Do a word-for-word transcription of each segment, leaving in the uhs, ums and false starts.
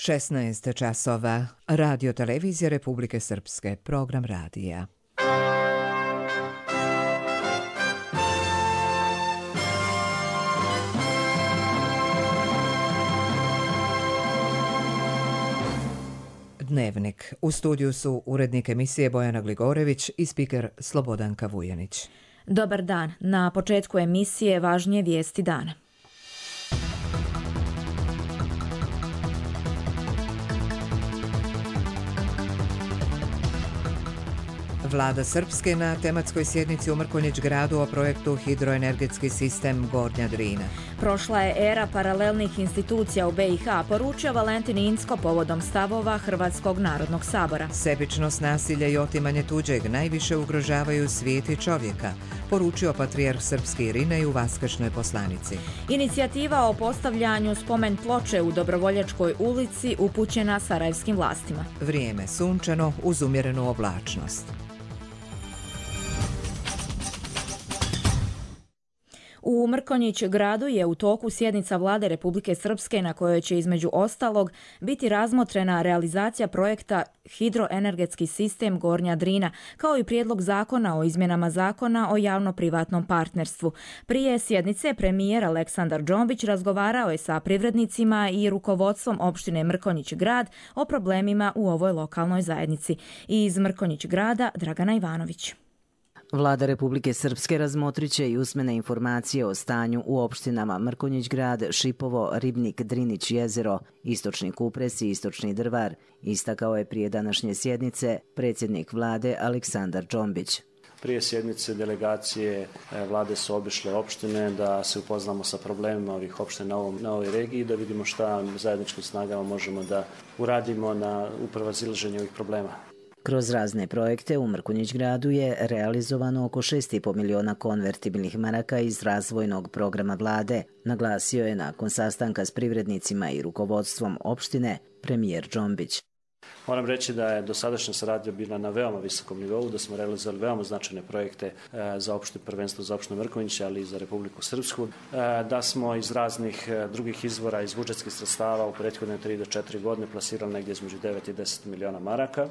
šesnaest časova. Radio televizija Republike Srpske. Program radija. Dnevnik. U studiju su urednik emisije Bojana Gligorević i spiker Slobodanka Vujanić. Dobar dan. Na početku emisije važnije vijesti dana. Vlada Srpske na tematskoj sjednici u Mrkonjić gradu o projektu Hidroenergetski sistem Gornja Drina. Prošla je era paralelnih institucija u B i H, poručio Valentin Incko povodom stavova Hrvatskog narodnog sabora. Sebičnost, nasilje i otimanje tuđeg najviše ugrožavaju svijet i čovjeka, poručio patrijarh Srpski Irinej u Vaskršnjoj poslanici. Inicijativa o postavljanju spomen ploče u Dobrovoljačkoj ulici upućena sarajevskim vlastima. Vrijeme sunčano uz umjerenu oblačnost. U Mrkonjić gradu je u toku sjednica Vlade Republike Srpske na kojoj će između ostalog biti razmotrena realizacija projekta Hidroenergetski sistem Gornja Drina, kao i prijedlog zakona o izmjenama zakona o javno-privatnom partnerstvu. Prije sjednice premijer Aleksandar Džombić razgovarao je sa privrednicima i rukovodstvom opštine Mrkonjić grad o problemima u ovoj lokalnoj zajednici. Iz Mrkonjić grada Dragana Ivanović. Vlada Republike Srpske razmotriće i usmene informacije o stanju u opštinama Mrkonjić grad, Šipovo, Ribnik, Drinić, Jezero, Istočni Kupres i Istočni Drvar, istakao je prije današnje sjednice predsjednik vlade Aleksandar Džombić. Prije sjednice delegacije vlade su obišle opštine da se upoznamo sa problemima ovih opština na, ovom, na ovoj regiji, da vidimo šta zajedničkim snagama možemo da uradimo na uprevazilaženju ovih problema. Kroz razne projekte u Mrkonjić gradu je realizovano oko šest i po miliona konvertibilnih maraka iz razvojnog programa vlade, naglasio je nakon sastanka s privrednicima i rukovodstvom opštine premijer Džombić. Moram reći da je dosadašnja saradnja bila na veoma visokom nivou, da smo realizovali veoma značajne projekte za opšte prvenstvo za opštinu Mrkonjić, ali i za Republiku Srpsku, da smo iz raznih drugih izvora, iz budžetskih sredstava u prethodne tri do četiri godine plasirali negdje između devet i deset miliona maraka,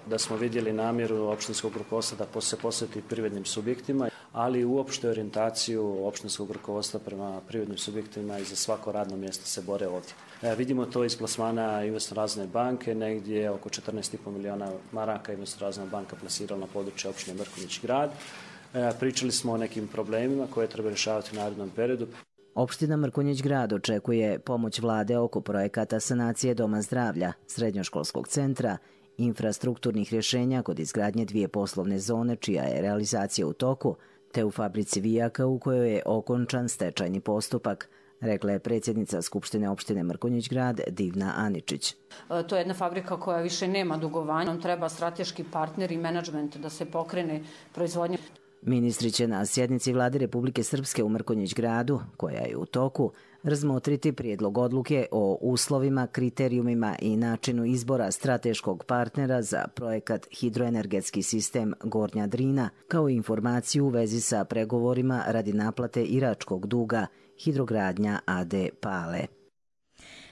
da smo vidjeli namjeru opštinskog rukovodstva da se posveti privrednim subjektima, ali i uopšte orijentaciju opštinskog rukovodstva prema privrednim subjektima i za svako radno mjesto se bore ovdje. E, vidimo to iz plasmana Investorazne banke, negdje oko četrnaest i po miliona maraka Investorazna banka plasirala na područje opštine Mrkonjić grad. E, pričali smo o nekim problemima koje treba rješavati u narednom periodu. Opština Mrkonjić grad očekuje pomoć vlade oko projekata sanacije Doma zdravlja, srednjoškolskog centra, infrastrukturnih rješenja kod izgradnje dvije poslovne zone čija je realizacija u toku, te u fabrici vijaka u kojoj je okončan stečajni postupak, rekla je predsjednica Skupštine opštine Mrkonjić grad Divna Aničić. To je jedna fabrika koja više nema dugovanja, nam treba strateški partner i menadžment da se pokrene proizvodnja. Ministri će na sjednici Vlade Republike Srpske u Mrkonjić gradu, koja je u toku, razmotriti prijedlog odluke o uslovima, kriterijumima i načinu izbora strateškog partnera za projekat Hidroenergetski sistem Gornja Drina, kao i informaciju u vezi sa pregovorima radi naplate iračkog duga Hidrogradnja A D Pale.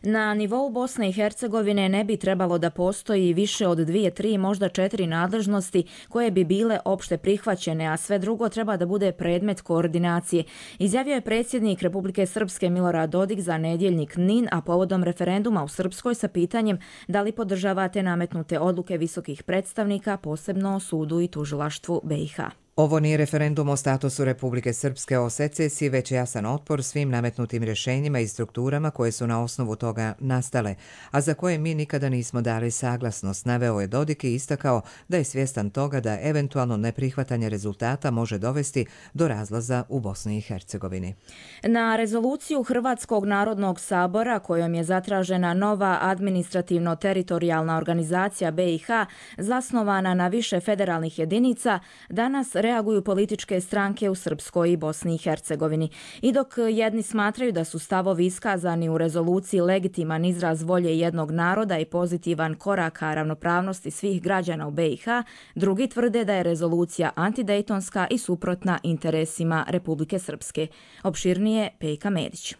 Na nivou Bosne i Hercegovine ne bi trebalo da postoji više od dvije, tri, možda četiri nadležnosti koje bi bile opšte prihvaćene, a sve drugo treba da bude predmet koordinacije. Izjavio je predsjednik Republike Srpske Milorad Dodik za nedjeljnik N I N, a povodom referenduma u Srpskoj sa pitanjem da li podržavate nametnute odluke visokih predstavnika, posebno o sudu i tužilaštvu B i H. Ovo nije referendum o statusu Republike Srpske o secesiji, već jasan otpor svim nametnutim rješenjima i strukturama koje su na osnovu toga nastale, a za koje mi nikada nismo dali saglasnost, naveo je Dodik i istakao da je svjestan toga da eventualno neprihvatanje rezultata može dovesti do razlaza u Bosni i Hercegovini. Na rezoluciju Hrvatskog narodnog sabora kojom je zatražena nova administrativno-teritorijalna organizacija B i H zasnovana na više federalnih jedinica, danas reaguju političke stranke u Srpskoj i Bosni i Hercegovini. I dok jedni smatraju da su stavovi iskazani u rezoluciji legitiman izraz volje jednog naroda i pozitivan korak ka ravnopravnosti svih građana u B i H, drugi tvrde da je rezolucija antidejtonska i suprotna interesima Republike Srpske. Opširnije Pejka Medić.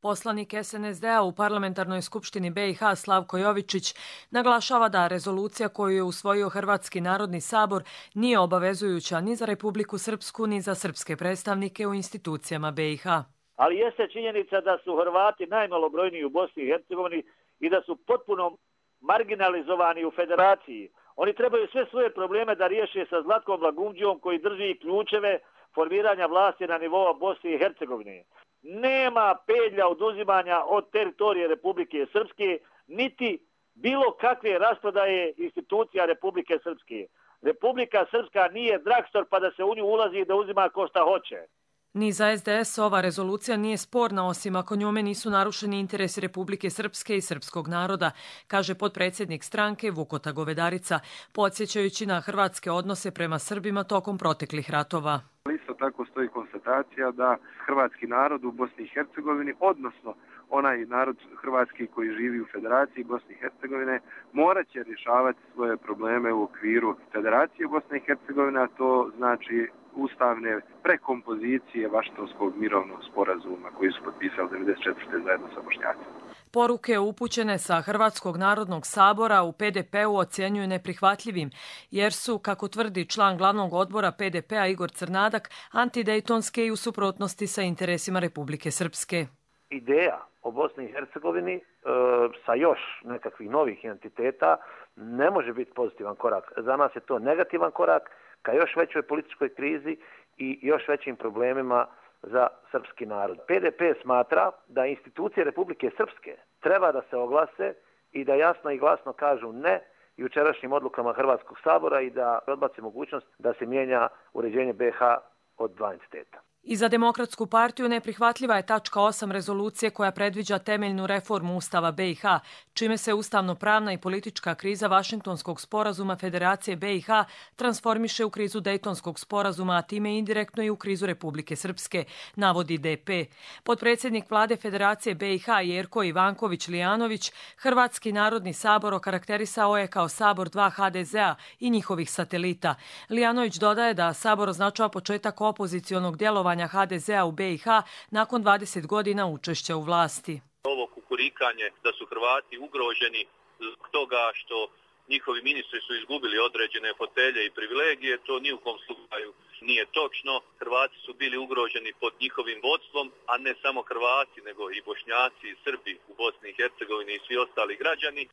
Poslanik S N S D-a u Parlamentarnoj skupštini B i H Slavko Jovičić naglašava da rezolucija koju je usvojio Hrvatski narodni sabor nije obavezujuća ni za Republiku Srpsku ni za srpske predstavnike u institucijama B i H. Ali jeste činjenica da su Hrvati najmalobrojniji u Bosni i Hercegovini i da su potpuno marginalizovani u federaciji. Oni trebaju sve svoje probleme da riješe sa Zlatkom Lagumđijom koji drži ključeve formiranja vlasti na nivou Bosne i Hercegovine. Nema pedlja oduzimanja od teritorije Republike Srpske, niti bilo kakve rasprodaje institucija Republike Srpske. Republika Srpska nije dragstor pa da se u nju ulazi i da uzima ko šta hoće. Ni za S D S ova rezolucija nije sporna, osim ako njome nisu narušeni interesi Republike Srpske i srpskog naroda, kaže potpredsjednik stranke Vukota Govedarica, podsjećajući na hrvatske odnose prema Srbima tokom proteklih ratova. Isto tako stoji konstatacija da hrvatski narod u Bosni i Hercegovini, odnosno onaj narod hrvatski koji živi u Federaciji Bosne i Hercegovine, morat će rješavati svoje probleme u okviru Federacije Bosne i Hercegovine, a to znači ustavne prekompozicije Vašingtonskog mirovnog sporazuma koji su potpisali devedeset četvrte zajedno sa Bošnjacima. Poruke upućene sa Hrvatskog narodnog sabora u P D P-u ocjenjuju neprihvatljivim, jer su, kako tvrdi član glavnog odbora P D P-a Igor Crnadak, antidejtonske i u suprotnosti sa interesima Republike Srpske. Ideja o Bosni i Hercegovini e, sa još nekakvih novih entiteta ne može biti pozitivan korak. Za nas je to negativan korak ka još većoj političkoj krizi i još većim problemima za srpski narod. P D P smatra da institucije Republike Srpske treba da se oglase i da jasno i glasno kažu ne jučerašnjim odlukama Hrvatskog sabora i da odbaci mogućnost da se mijenja uređenje B i H od dva entiteta. I za Demokratsku partiju neprihvatljiva je tačka osam rezolucije koja predviđa temeljnu reformu Ustava B i H, čime se ustavno-pravna i politička kriza Vašingtonskog sporazuma Federacije B i H transformiše u krizu Dejtonskog sporazuma, a time indirektno i u krizu Republike Srpske, navodi D P. Potpredsjednik vlade Federacije B i H Jerko Ivanković Lijanović Hrvatski narodni sabor okarakterisao je kao sabor dva H D Z-a i njihovih satelita. Lijanović dodaje da sabor označava početak opozicionog djelovanja H D Z-a u B i H nakon dvadeset godina učešća u vlasti. Ovo kukurikanje da su Hrvati ugroženi zbog toga što njihovi ministri su izgubili određene fotelje i privilegije, to ni u kom slučaju nije točno. Hrvati su bili ugroženi pod njihovim vodstvom, a ne samo Hrvati, nego i Bošnjaci i Srbi u Bosni i Hercegovini i svi ostali građani.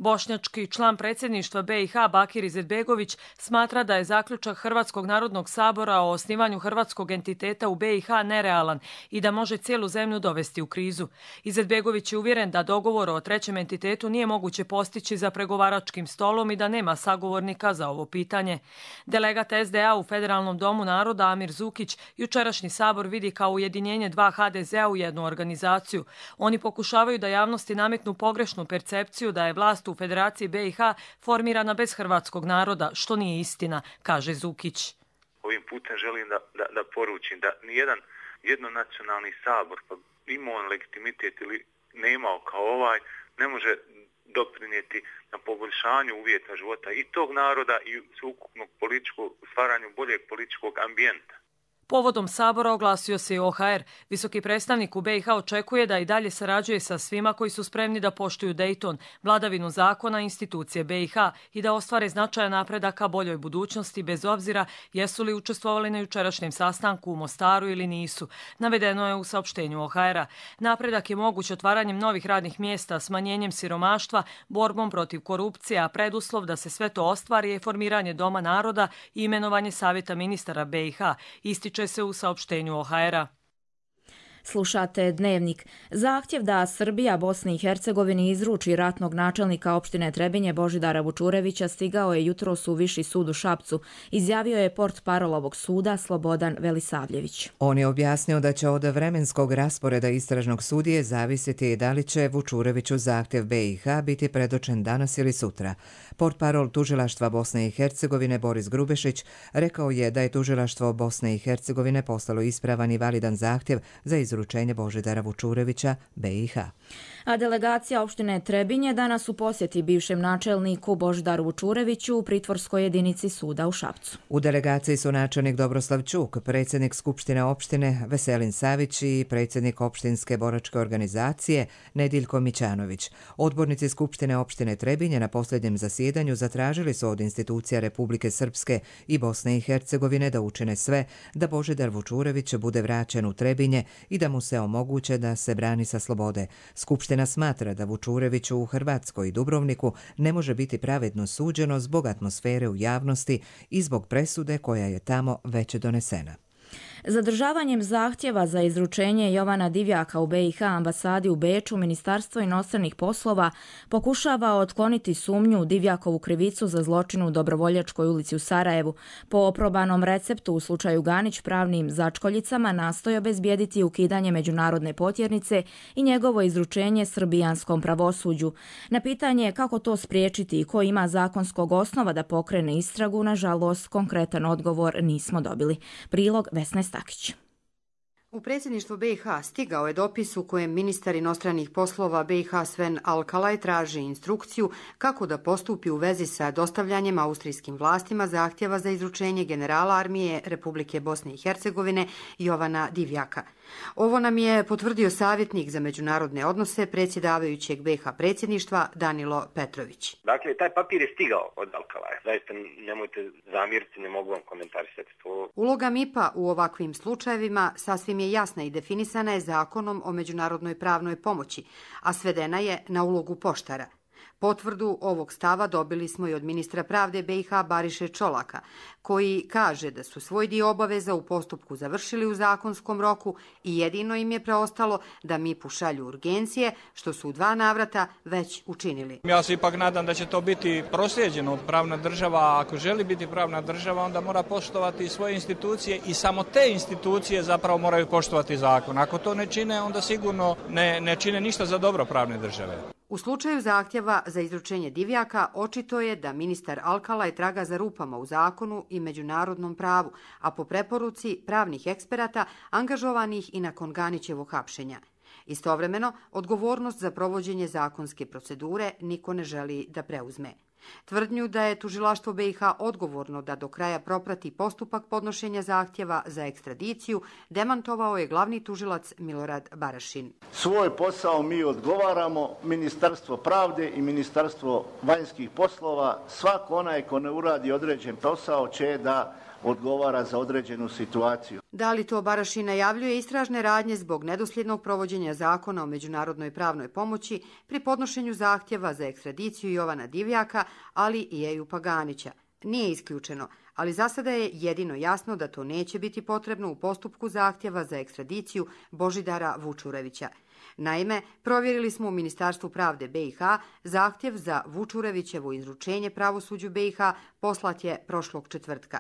Bošnjački član predsjedništva B i H Bakir Izetbegović smatra da je zaključak Hrvatskog narodnog sabora o osnivanju hrvatskog entiteta u B i H nerealan i da može cijelu zemlju dovesti u krizu. Izetbegović je uvjeren da dogovor o trećem entitetu nije moguće postići za pregovaračkim stolom i da nema sagovornika za ovo pitanje. Delegat S D A u Federalnom domu naroda Amir Zukić jučerašnji sabor vidi kao ujedinjenje dva H D Z-a u jednu organizaciju. Oni pokušavaju da javnosti nametnu pogrešnu percepciju da je vlast u Federaciji B i H formirana bez hrvatskog naroda, što nije istina, kaže Zukić. Ovim putem želim da, da, da poručim da nijedan jednonacionalni sabor, pa imao on legitimitet ili ne imao kao ovaj, ne može doprinijeti na poboljšanju uvjeta života i tog naroda i sveukupnog političkog, stvaranju boljeg političkog ambijenta. Povodom sabora oglasio se i O H R. Visoki predstavnik u B i H očekuje da i dalje sarađuje sa svima koji su spremni da poštuju Dejton, vladavinu zakona i institucije B i H i da ostvare značajan napredak ka boljoj budućnosti bez obzira jesu li učestvovali na jučerašnjem sastanku u Mostaru ili nisu. Navedeno je u saopštenju O H R-a. Napredak je moguć otvaranjem novih radnih mjesta, smanjenjem siromaštva, borbom protiv korupcije, a preduslov da se sve to ostvari je formiranje Doma naroda i imenovanje Savjeta ministara B i H. Ističe se u saopštenju O H R-a. Slušate Dnevnik. Zahtjev da Srbija Bosni i Hercegovini izruči ratnog načelnika opštine Trebinje Božidara Vučurevića stigao je jutros u Viši sud u Šapcu, izjavio je portparol ovog suda Slobodan Velisavljević. On je objasnio da će od vremenskog rasporeda istražnog sudije zavisiti da li će Vučureviću zahtjev B i H biti predočen danas ili sutra. Portparol tužilaštva Bosne i Hercegovine Boris Grubešić rekao je da je tužilaštvo Bosne i Hercegovine poslalo ispravan i validan zahtjev za izručenje izručenje Božidara Vučurevića be i ha. A delegacija opštine Trebinje danas u posjeti bivšem načelniku Božidaru Vučureviću u pritvorskoj jedinici suda u Šapcu. U delegaciji su načelnik Dobroslav Ćuk, predsjednik Skupštine opštine Veselin Savić i predsjednik opštinske boračke organizacije Nediljko Mićanović. Odbornici Skupštine opštine Trebinje na posljednjem zasjedanju zatražili su od institucija Republike Srpske i Bosne i Hercegovine da učine sve da Božidar Vučurević bude vraćen u Trebinje i da mu se omoguće da se brani sa slobode. Skupština smatra da Vučureviću u Hrvatskoj i Dubrovniku ne može biti pravedno suđeno zbog atmosfere u javnosti i zbog presude koja je tamo već donesena. Zadržavanjem zahtjeva za izručenje Jovana Divjaka u be i ha ambasadi u Beču, Ministarstvo inostranih poslova pokušava otkloniti sumnju u Divjakovu krivicu za zločin u Dobrovoljačkoj ulici u Sarajevu. Po oprobanom receptu u slučaju Ganić pravnim začkoljicama nastoji obezbijediti ukidanje međunarodne potjernice i njegovo izručenje srbijanskom pravosuđu. Na pitanje kako to spriječiti i ko ima zakonskog osnova da pokrene istragu, nažalost, konkretan odgovor nismo dobili. Prilog Vesne Stakić. U predsjedništvo be i ha stigao je dopis u kojem ministar inostranih poslova be i ha Sven Alkalaj traži instrukciju kako da postupi u vezi sa dostavljanjem austrijskim vlastima zahtjeva za izručenje generala armije Republike Bosne i Hercegovine Jovana Divjaka. Ovo nam je potvrdio savjetnik za međunarodne odnose predsjedavajućeg be i ha predsjedništva Danilo Petrović. Dakle, taj papir je stigao od Alkalaja. Zaista nemojte zamjeriti, ne mogu vam komentarisati to. Uloga em i pe-a u ovakvim slučajevima sasvim je jasna i definisana je zakonom o međunarodnoj pravnoj pomoći, a svedena je na ulogu poštara. Potvrdu ovog stava dobili smo i od ministra pravde be i ha Bariše Čolaka, koji kaže da su svoj dio obaveza u postupku završili u zakonskom roku i jedino im je preostalo da em i pe-u šalju urgencije, što su u dva navrata već učinili. Ja se ipak nadam da će to biti proslijeđeno. Pravna država, ako želi biti pravna država, onda mora poštovati svoje institucije i samo te institucije zapravo moraju poštovati zakon. Ako to ne čine, onda sigurno ne, ne čine ništa za dobro pravne države. U slučaju zahtjeva za izručenje Divjaka očito je da ministar Alkalaj traga za rupama u zakonu i međunarodnom pravu, a po preporuci pravnih eksperata angažovanih i nakon Ganićevog hapšenja. Istovremeno, odgovornost za provođenje zakonske procedure niko ne želi da preuzme. Tvrdnju da je tužilaštvo be i ha odgovorno da do kraja proprati postupak podnošenja zahtjeva za ekstradiciju demantovao je glavni tužilac Milorad Barašin. Svoj posao mi odgovaramo, Ministarstvo pravde i Ministarstvo vanjskih poslova, svako onaj ko ne uradi određen posao će da odgovara za određenu situaciju. Da li to Barašin najavljuje istražne radnje zbog nedosljednog provođenja zakona o međunarodnoj pravnoj pomoći pri podnošenju zahtjeva za ekstradiciju Jovana Divjaka, ali i Ejupa Ganića? Nije isključeno, ali za sada je jedino jasno da to neće biti potrebno u postupku zahtjeva za ekstradiciju Božidara Vučurevića. Naime, provjerili smo u Ministarstvu pravde be i ha, zahtjev za Vučurevićevo izručenje pravosuđu be i ha poslat je prošlog četvrtka.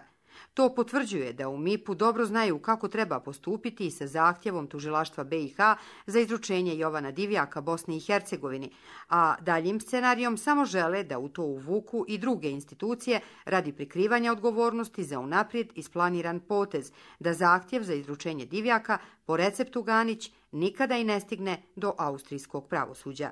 To potvrđuje da u em i pe-u dobro znaju kako treba postupiti i sa zahtjevom tužilaštva be i ha za izručenje Jovana Divjaka Bosni i Hercegovini, a daljim scenarijom samo žele da u to uvuku i druge institucije radi prikrivanja odgovornosti za unaprijed isplaniran potez, da zahtjev za izručenje Divjaka po receptu Ganić nikada i ne stigne do austrijskog pravosuđa.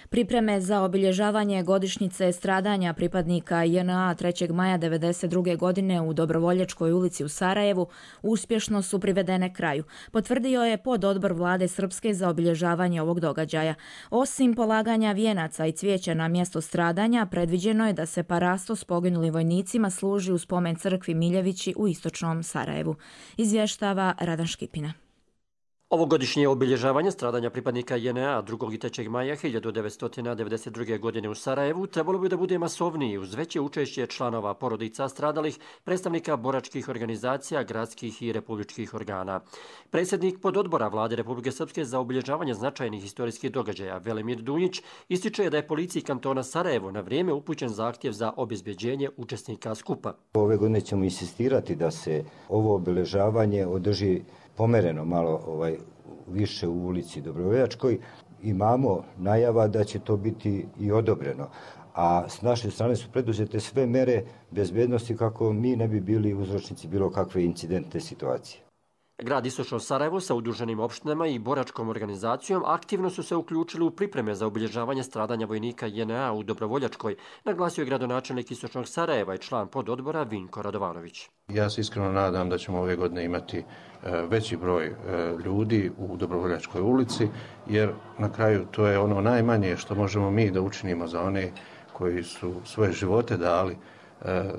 Pripreme za obilježavanje godišnjice stradanja pripadnika je en a trećeg maja devedeset druge godine u Dobrovoljačkoj ulici u Sarajevu uspješno su privedene kraju, potvrdio je pododbor vlade Srpske za obilježavanje ovog događaja. Osim polaganja vijenaca i cvijeća na mjesto stradanja, predviđeno je da se parasto s poginulim vojnicima služi u spomen crkvi Miljevići u istočnom Sarajevu. Izvještava Radan Škipina. Ovogodišnje obilježavanje stradanja pripadnika je en a drugog i trećeg maja hiljadu devetsto devedeset druge. godine u Sarajevu trebalo bi da bude masovniji uz veće učešće članova porodica stradalih, predstavnika boračkih organizacija, gradskih i republičkih organa. Predsjednik pododbora vlade Republike Srpske za obilježavanje značajnih historijskih događaja Velimir Dunjić ističe da je policiji kantona Sarajevo na vrijeme upućen zahtjev za obezbeđenje učesnika skupa. Ove godine ćemo insistirati da se ovo obilježavanje održi pomereno malo ovaj, više u ulici Dobrovoljačkoj. Imamo najava da će to biti i odobreno, a s naše strane su preduzete sve mere bezbednosti kako mi ne bi bili uzročnici bilo kakve incidentne situacije. Grad Istočno Sarajevo sa udruženim opštinama i boračkom organizacijom aktivno su se uključili u pripreme za obilježavanje stradanja vojnika J N A u Dobrovoljačkoj, naglasio je gradonačelnik Istočnog Sarajeva i član pododbora Vinko Radovanović. Ja se iskreno nadam da ćemo ove godine imati veći broj ljudi u Dobrovoljačkoj ulici, jer na kraju to je ono najmanje što možemo mi da učinimo za one koji su svoje živote dali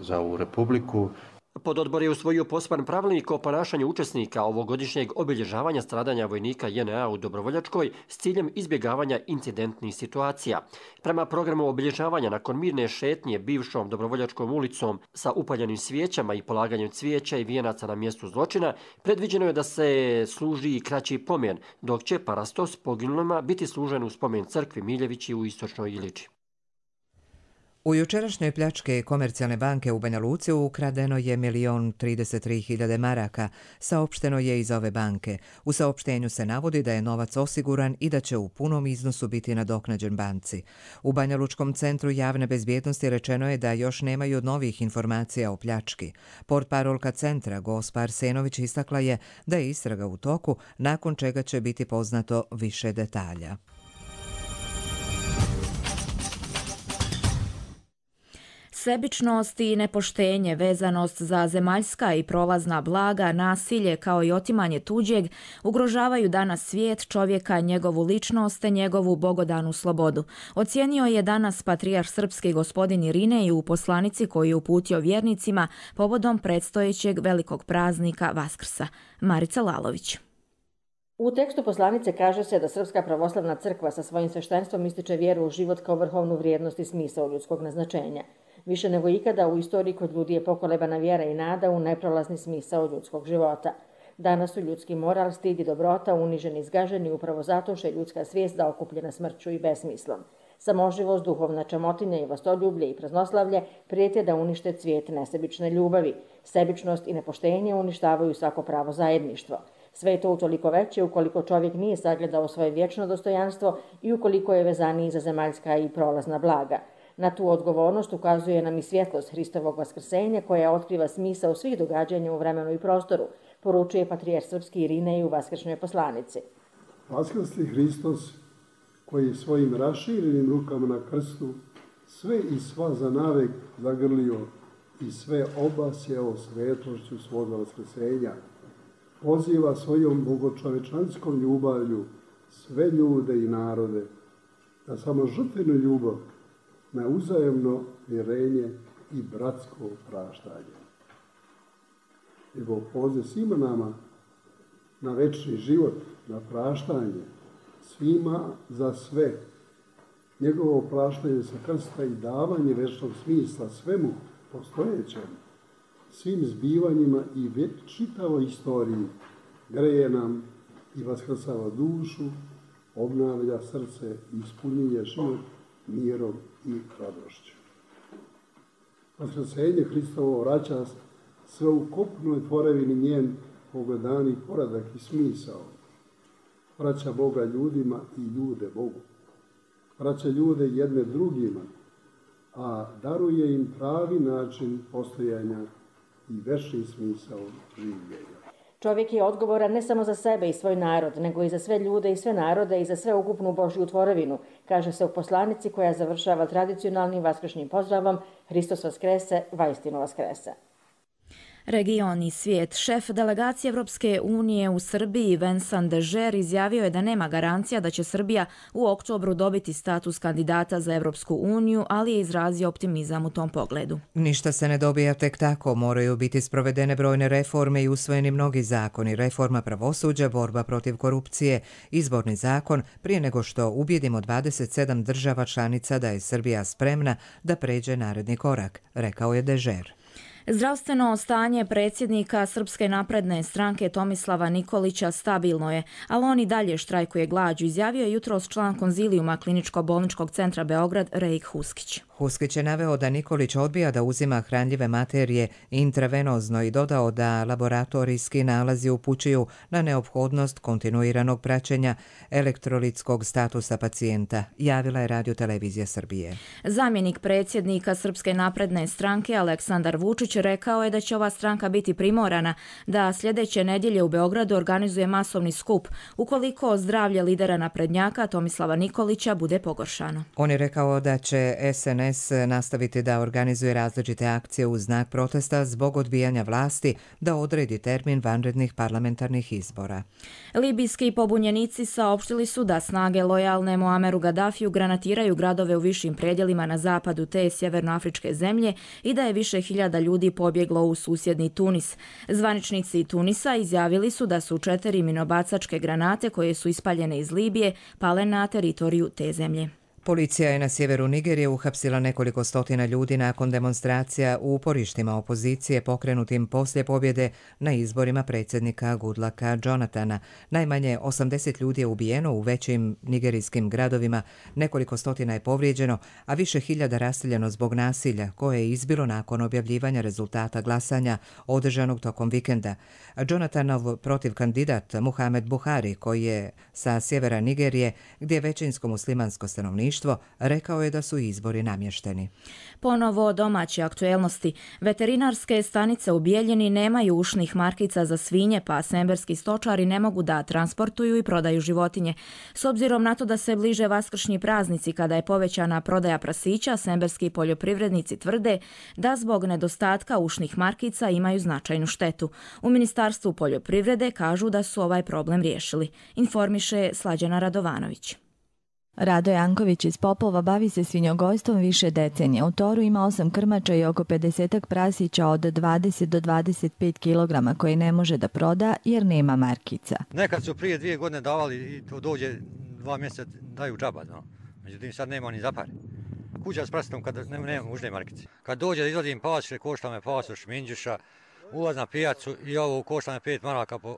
za ovu republiku. Pododbor je usvojio poseban pravilnik o ponašanju učesnika ovogodišnjeg obilježavanja stradanja vojnika J N A u Dobrovoljačkoj s ciljem izbjegavanja incidentnih situacija. Prema programu obilježavanja nakon mirne šetnje bivšom Dobrovoljačkom ulicom sa upaljenim svijećama i polaganjem cvijeća i vijenaca na mjestu zločina, predviđeno je da se služi i kraći pomen, dok će parastos poginulima biti služen u spomen crkvi Miljevići u Istočnoj Iliči. U jučerašnjoj pljačke Komercijalne banke u Banja Luci ukradeno je milion trideset tri hiljade maraka, saopšteno je iz ove banke. U saopštenju se navodi da je novac osiguran i da će u punom iznosu biti nadoknađen banci. U Banja Lučkom centru javne bezbjednosti rečeno je da još nemaju novih informacija o pljački. Portparolka centra Gospa Arsenović istakla je da je istraga u toku, nakon čega će biti poznato više detalja. Sebičnost i nepoštenje, vezanost za zemaljska i prolazna blaga, nasilje kao i otimanje tuđeg ugrožavaju danas svijet, čovjeka, njegovu ličnost te njegovu bogodanu slobodu. Ocijenio je danas patrijarh srpski gospodin Irinej u poslanici koju je uputio vjernicima povodom predstojećeg velikog praznika Vaskrsa. Marica Lalović. U tekstu poslanice kaže se da Srpska pravoslavna crkva sa svojim sveštenstvom ističe vjeru u život kao vrhovnu vrijednost i smisao ljudskog naznačenja. Više nego ikada u istoriji kod ljudi je pokolebana vjera i nada u neprolazni smisao ljudskog života. Danas su ljudski moral, stid i dobrota uniženi i zgaženi upravo zato što je ljudska svijest da okupljena smrću i besmislom. Samoživost, duhovna čamotinja i vlastoljublje i praznoslavlje prijete da unište cvijet nesebične ljubavi. Sebičnost i nepoštenje uništavaju svako pravo zajedništvo. Sve je to utoliko veće ukoliko čovjek nije sagledao svoje vječno dostojanstvo i ukoliko je vezaniji za zemaljska i prolazna blaga. Na tu odgovornost ukazuje nam i svjetlost Hristovog vaskrsenja koja otkriva smisao svih događanja u vremenu i prostoru, poručuje patrijarh srpski Irinej u vaskršnjoj poslanici. Vaskrsli Hristos koji svojim raširenim rukama na krstu sve i sva za navek zagrlio i sve obasjao svetošću svoga vaskrsenja, poziva svojom bogočovečanskom ljubavlju sve ljude i narode da samo žrtvenu ljubav na uzajemno vjerenje i bratsko praštanje. Njegov poziv svima nama na večni život, na praštanje, svima za sve. Njegovo praštanje sa krsta i davanje večnog smisla svemu postojećem, svim zbivanjima i čitavoj istoriji greje nam i vaskrsava dušu, obnavlja srce i ispunjuje život mirom i radošću. Vaskrsenje Hristovo vraća sve u kopnoj tvorevini njen pogledani poradak i smisao. Vraća Boga ljudima i ljude Bogu. Vraća ljude jedne drugima, a daruje im pravi način postojanja i večni smisao življenja. Čovjek je odgovoran ne samo za sebe i svoj narod, nego i za sve ljude i sve narode i za sve ukupnu Božju tvorevinu, kaže se u poslanici koja završava tradicionalnim vaskršnjim pozdravom Hristos vaskrese, vaistinu vaskrese. Region i svijet. Šef delegacije Evropske unije u Srbiji Vincent Dežer izjavio je da nema garancija da će Srbija u oktobru dobiti status kandidata za Evropsku uniju, ali je izrazio optimizam u tom pogledu. Ništa se ne dobija tek tako, moraju biti sprovedene brojne reforme i usvojeni mnogi zakoni, reforma pravosuđa, borba protiv korupcije, izborni zakon, prije nego što ubjedimo dvadeset sedam država članica da je Srbija spremna da pređe naredni korak, rekao je Dežer. Zdravstveno stanje predsjednika Srpske napredne stranke Tomislava Nikolića stabilno je, ali on i dalje štrajkuje glađu, izjavio je jutros član konzilijuma Kliničko-bolničkog centra Beograd Rejk Huskić. Huskić je naveo da Nikolić odbija da uzima hranljive materije intravenozno i dodao da laboratorijski nalazi upućuju na neophodnost kontinuiranog praćenja elektrolitskog statusa pacijenta, javila je Radio-televizija Srbije. Zamjenik predsjednika Srpske napredne stranke Aleksandar Vučić rekao je da će ova stranka biti primorana da sljedeće nedjelje u Beogradu organizuje masovni skup ukoliko zdravlje lidera naprednjaka Tomislava Nikolića bude pogoršano. On je rekao da će S N S nastaviti da organizuje različite akcije u znak protesta zbog odbijanja vlasti da odredi termin vanrednih parlamentarnih izbora. Libijski pobunjenici saopštili su da snage lojalne Muameru Gaddafiju granatiraju gradove u višim predjelima na zapadu te sjevernoafričke zemlje i da je više hiljada ljudi pobjeglo u susjedni Tunis. Zvaničnici Tunisa izjavili su da su četiri minobacačke granate koje su ispaljene iz Libije pale na teritoriju te zemlje. Policija je na sjeveru Nigerije uhapsila nekoliko stotina ljudi nakon demonstracija u uporištima opozicije pokrenutim poslije pobjede na izborima predsjednika Goodlucka Jonathana. Najmanje osamdeset ljudi je ubijeno u većim nigerijskim gradovima, nekoliko stotina je povrijeđeno, a više hiljada raseljeno zbog nasilja koje je izbilo nakon objavljivanja rezultata glasanja održanog tokom vikenda. Jonathanov protivkandidat Muhamed Buhari, koji je sa sjevera Nigerije, gdje je većinsko muslimansko stanovništvo, rekao je da su izbori namješteni. Ponovo domaće aktuelnosti. Veterinarske stanice u Bijeljini nemaju ušnih markica za svinje, pa semberski stočari ne mogu da transportuju i prodaju životinje. S obzirom na to da se bliže vaskršnji praznici kada je povećana prodaja prasića, semberski poljoprivrednici tvrde da zbog nedostatka ušnih markica imaju značajnu štetu. U Ministarstvu poljoprivrede kažu da su ovaj problem riješili, informiše Slađana Radovanović. Rado Janković iz Popova bavi se svinjogojstvom više decenija. U toru ima osam krmača i oko pedeset prasića od dvadeset do dvadeset pet kilograma koje ne može da proda jer nema markica. Nekad su prije dvije godine davali i to dođe dva mjeseca daju džaba, no. Međutim sad nema ni za pare. Kuća s prasitom kad nema, nema užne markice. Kad dođe da izvadim pasoše, košta me pasoš minđuša, ulaz na pijacu i ovo košta me pet maraka po,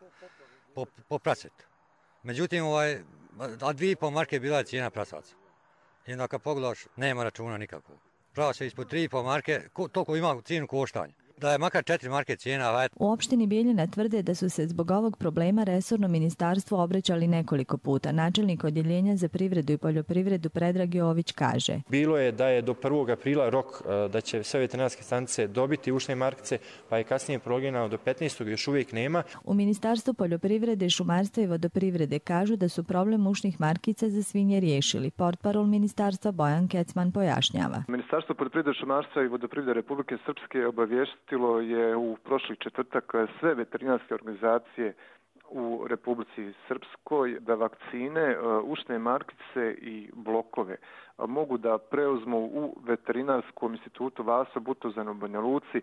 po, po prasetu. Međutim, ovaj, a dvije i pol marke bila je cijena prasaca. I onda kad pogledaš, nema računa nikakvog. Prava se ispod tri i pol marke, ko, toliko ima cijenu koštanja. Da je makar četiri marke cijena. U opštini Bijeljina tvrde da su se zbog ovog problema resorno ministarstvo obraćali nekoliko puta. Načelnik odjeljenja za privredu i poljoprivredu Predrag Jović kaže. Bilo je da je do prvog aprila rok da će sve veterinarske stanice dobiti ušne markice, pa je kasnije prolongirano do petnaestog još uvijek nema. U Ministarstvu poljoprivrede, šumarstva i vodoprivrede kažu da su problem ušnih markica za svinje riješili. Portparol ministarstva Bojan Kecman pojašnjava. Ministarstvo poljoprivrede, šumarstva i vodoprivrede Republike Srpske obavještilo je u prošli četvrtak sve veterinarske organizacije u Republici Srpskoj da vakcine, ušne markice i blokove mogu da preuzmu u Veterinarskom institutu Vaso Butozan u Banja Luci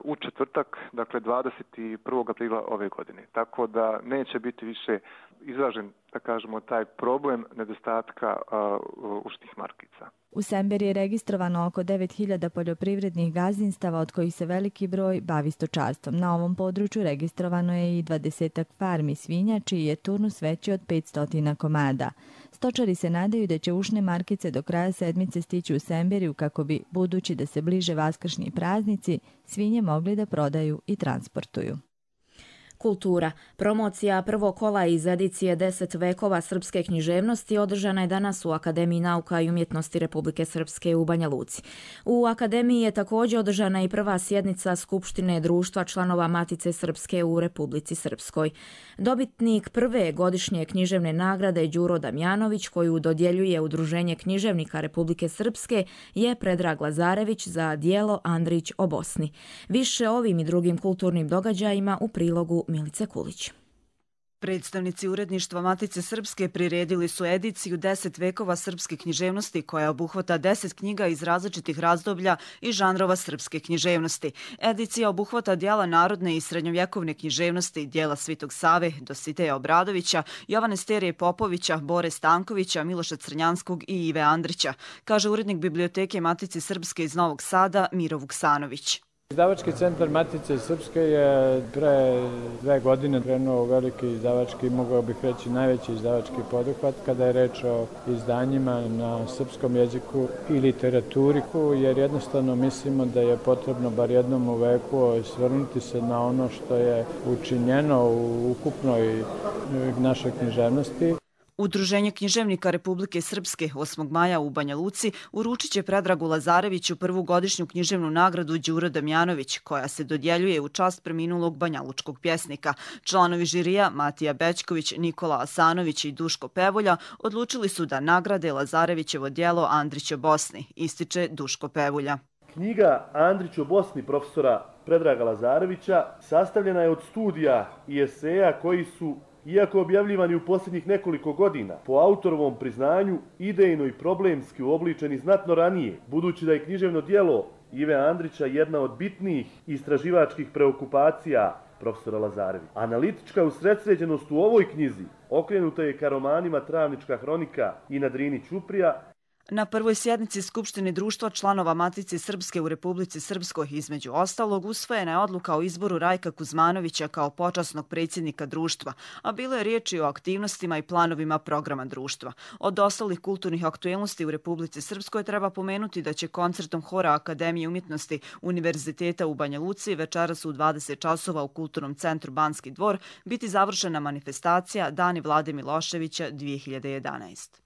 u četvrtak, dakle dvadeset prvog aprila ove godine. Tako da neće biti više izražen, da kažemo, taj problem nedostatka uh, ušnih markica. U Semberi je registrovano oko devet hiljada poljoprivrednih gazdinstava, od kojih se veliki broj bavi stočarstvom. Na ovom području registrovano je i dvadesetak farmi svinja, čiji je turnus veći od petsto komada. Stočari se nadaju da će ušne markice do kraja sedmice stići u Semberiju kako bi, budući da se bliže vaskršnji praznici, svinje mogli da prodaju i transportuju. Kultura. Promocija prvog kola iz edicije deset vekova srpske književnosti održana je danas u Akademiji nauka i umjetnosti Republike Srpske u Banja Luci. U Akademiji je također održana i prva sjednica Skupštine društva članova Matice Srpske u Republici Srpskoj. Dobitnik prve godišnje književne nagrade Đuro Damjanović, koju dodjeljuje Udruženje književnika Republike Srpske, je Predrag Lazarević za dijelo Andrić o Bosni. Više ovim i drugim kulturnim događajima u prilogu Milice Kulić. Predstavnici uredništva Matice Srpske priredili su ediciju deset vekova srpske književnosti koja obuhvata deset knjiga iz različitih razdoblja i žanrova srpske književnosti. Edicija obuhvata dijela narodne i srednjovjekovne književnosti, dijela Svitog Save, Dositeja Obradovića, Jovane Sterije Popovića, Bore Stankovića, Miloša Crnjanskog i Ive Andrića, kaže urednik Biblioteke Matice Srpske iz Novog Sada Miro Vuksanović. Izdavački centar Matice Srpske je pre dve godine krenuo veliki izdavački, mogao bih reći najveći izdavački poduhvat kada je reč o izdanjima na srpskom jeziku i literaturi, jer jednostavno mislimo da je potrebno bar jednom u veku osvrnuti se na ono što je učinjeno u ukupnoj našoj književnosti. Udruženje književnika Republike Srpske osmog maja u Banja Luci uručit će Predragu Lazareviću prvu godišnju književnu nagradu Đuro Damjanović, koja se dodjeljuje u čast preminulog banjalučkog pjesnika. Članovi žirija Matija Bećković, Nikola Asanović i Duško Pevolja odlučili su da nagrade Lazarevićevo djelo Andrić o Bosni, ističe Duško Pevulja. Knjiga Andrić o Bosni profesora Predraga Lazarevića sastavljena je od studija i eseja koji su, iako objavljivani u posljednjih nekoliko godina, po autorovom priznanju idejno i problemski uobličeni znatno ranije, budući da je književno djelo Ive Andrića jedna od bitnijih istraživačkih preokupacija profesora Lazarevića. Analitička usredsređenost u ovoj knjizi okrenuta je ka romanima Travnička hronika i Na Drini Ćuprija. Na prvoj sjednici Skupštine društva članova Matice Srpske u Republici Srpskoj, između ostalog, usvojena je odluka o izboru Rajka Kuzmanovića kao počasnog predsjednika društva, a bilo je riječi o aktivnostima i planovima programa društva. Od ostalih kulturnih aktuelnosti u Republici Srpskoj treba pomenuti da će koncertom Hora Akademije umjetnosti Univerziteta u Banja Luci večeras u dvadeset časova u Kulturnom centru Banski dvor biti završena manifestacija Dani Vlade Miloševića dvije hiljade jedanaeste.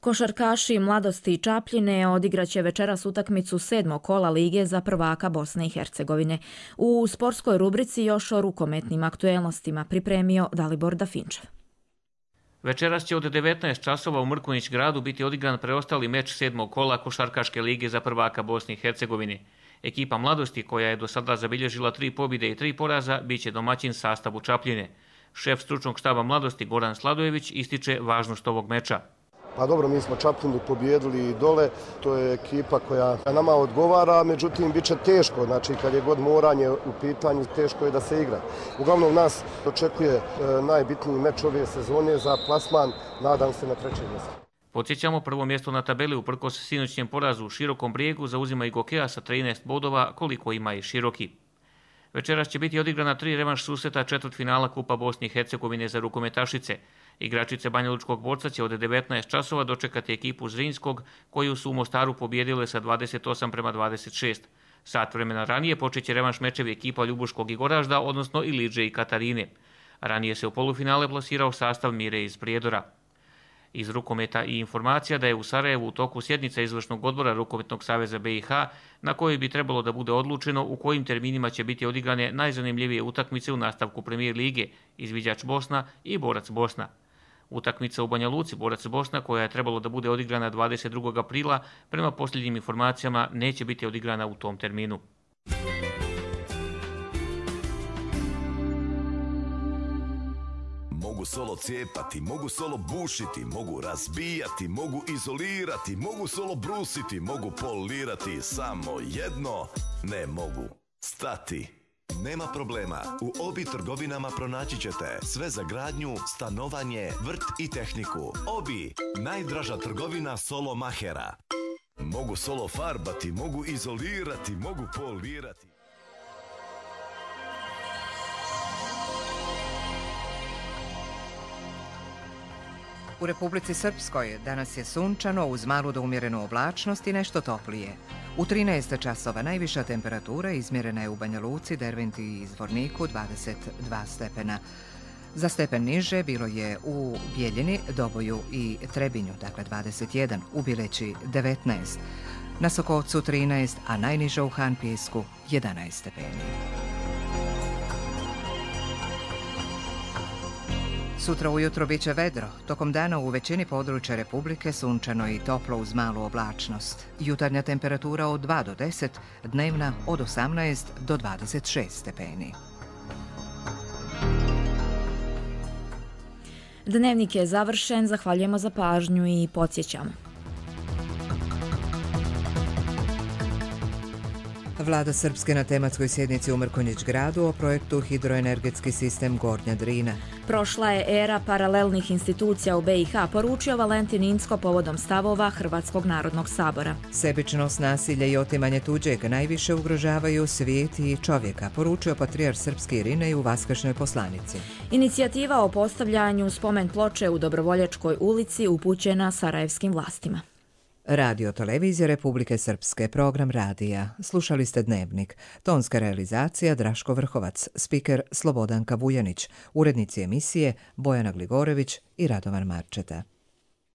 Košarkaši Mladosti i Čapljine odigraće večeras utakmicu sedmog kola Lige za prvaka Bosne i Hercegovine. U sportskoj rubrici još o rukometnim aktuelnostima pripremio Dalibor Dafinčev. Večeras će od devetnaest časova u Mrkonjić gradu biti odigran preostali meč sedmog kola Košarkaške lige za prvaka Bosne i Hercegovine. Ekipa Mladosti, koja je do sada zabilježila tri pobjede i tri poraza, bit će domaćin sastavu Čapljine. Šef stručnog štaba Mladosti Goran Sladojević ističe važnost ovog meča. Pa dobro, mi smo Čapljinu pobjedili i dole, to je ekipa koja nama odgovara, međutim bit će teško, znači kad je god moranje u pitanju, teško je da se igra. Uglavnom nas očekuje e, najbitniji meč ove sezone za plasman, nadam se na treće mjesto. Podsjećamo, prvo mjesto na tabeli uprkos sinoćnjem porazu u Širokom Brijegu zauzima i Gokea sa trinaest bodova, koliko ima i Široki. Večeras će biti odigrana tri revanš susreta četvrtfinala Kupa Bosne i Hercegovine za rukometašice. Igračice Banjalučkog Borca će od devetnaest časova dočekati ekipu Zrinskog, koju su u Mostaru pobjedile sa dvadeset osam prema dvadeset šest. Sat vremena ranije počeće revanš mečevi ekipa Ljubuškog i Goražda, odnosno Ilidže i Katarine. Ranije se u polufinale plasirao sastav Mire iz Prijedora. Iz rukometa i informacija da je u Sarajevu u toku sjednica izvršnog odbora Rukometnog saveza be i ha, na kojoj bi trebalo da bude odlučeno u kojim terminima će biti odigrane najzanimljivije utakmice u nastavku Premijer lige, Izviđač Bosna i Borac Bosna. Utakmica u Banja Luci Borac Bosna, koja je trebalo da bude odigrana dvadeset drugog aprila, prema posljednjim informacijama neće biti odigrana u tom terminu. Mogu solo cijepati, mogu solo bušiti, mogu razbijati, mogu izolirati, mogu solo brusiti, mogu polirati, samo jedno ne mogu stati. Nema problema, u Obi trgovinama pronaći ćete sve za gradnju, stanovanje, vrt i tehniku. Obi, najdraža trgovina solo mahera. Mogu solo farbati, mogu izolirati, mogu polirati. U Republici Srpskoj danas je sunčano uz malu do umjerenu oblačnost i nešto toplije. U trinaest časova najviša temperatura izmjerena je u Banja Luci, Derventi i Zvorniku dvadeset dva stepena. Za stepen niže bilo je u Bijeljini, Doboju i Trebinju, dakle dvadeset jedan, u Bileći devetnaest, na Sokovcu trinaest, a najniže u Hanpijesku jedanaest stepeni. Sutra ujutro bit će vedro, tokom dana u većini područja Republike sunčano i toplo uz malu oblačnost. Jutarnja temperatura od dva do deset, dnevna od osamnaest do dvadeset šest stepeni. Dnevnik je završen, zahvaljujemo za pažnju i podsjećamo. Vlada Srpske na tematskoj sjednici u Mrkonjić gradu o projektu Hidroenergetski sistem Gornja Drina. Prošla je era paralelnih institucija u B i H, poručio Valentin Incko povodom stavova Hrvatskog narodnog sabora. Sebičnost, nasilje i otimanje tuđeg najviše ugrožavaju svijet i čovjeka, poručio patrijarh srpski Irinej u Vaskršnjoj poslanici. Inicijativa o postavljanju spomen ploče u Dobrovoljačkoj ulici upućena sarajevskim vlastima. Radio Televizija Republike Srpske, program radija. Slušali ste Dnevnik. Tonska realizacija Draško Vrhovac, spiker Slobodanka Vujanić, urednici emisije Bojana Gligorević i Radovan Marčeta.